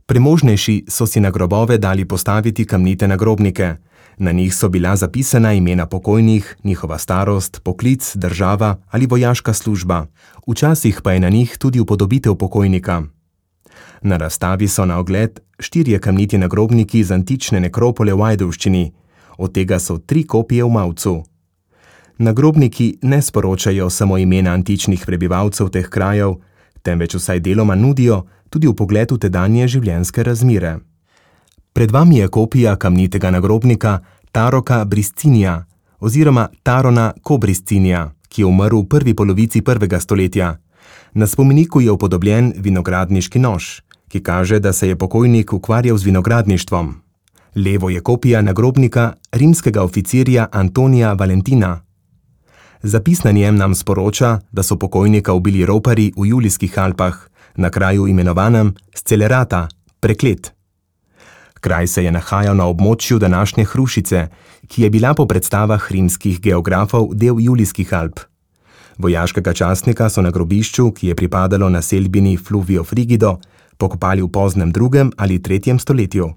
Premožnejši so si na grobove dali postaviti kamnite nagrobnike. Na njih so bila zapisana imena pokojnih, njihova starost, poklic, država ali vojaška služba. Včasih pa je na njih tudi upodobitev pokojnika. Na razstavi so na ogled 4 kamniti nagrobniki iz antične nekropole v Ajdovščini, od tega so 3 kopije v Mavcu. Nagrobniki ne sporočajo samo imena antičnih prebivalcev teh krajev, temveč vsaj deloma nudijo tudi vpogled v tedanje življenjske razmere. Pred vami je kopija kamnitega nagrobnika Taroka Briscinija oziroma Tarona Kobriscinija, ki je umrl v prvi polovici 1. stoletja. Na spomeniku je upodobljen vinogradniški nož, ki kaže, da se je pokojnik ukvarjal z vinogradništvom. Levo je kopija nagrobnika rimskega oficirja Antonija Valentina. Zapis na njem nam sporoča, da so pokojnika ubili roparji v Julijskih Alpah, na kraju imenovanem Scelerata, Preklet. Kraj se je nahajal na območju današnje Hrušice, ki je bila po predstavah rimskih geografov del Julijskih Alp. Vojaškega častnika so na grobišču, ki je pripadalo naselbini Fluvio Frigido, pokopali v poznem 2. ali 3. stoletju.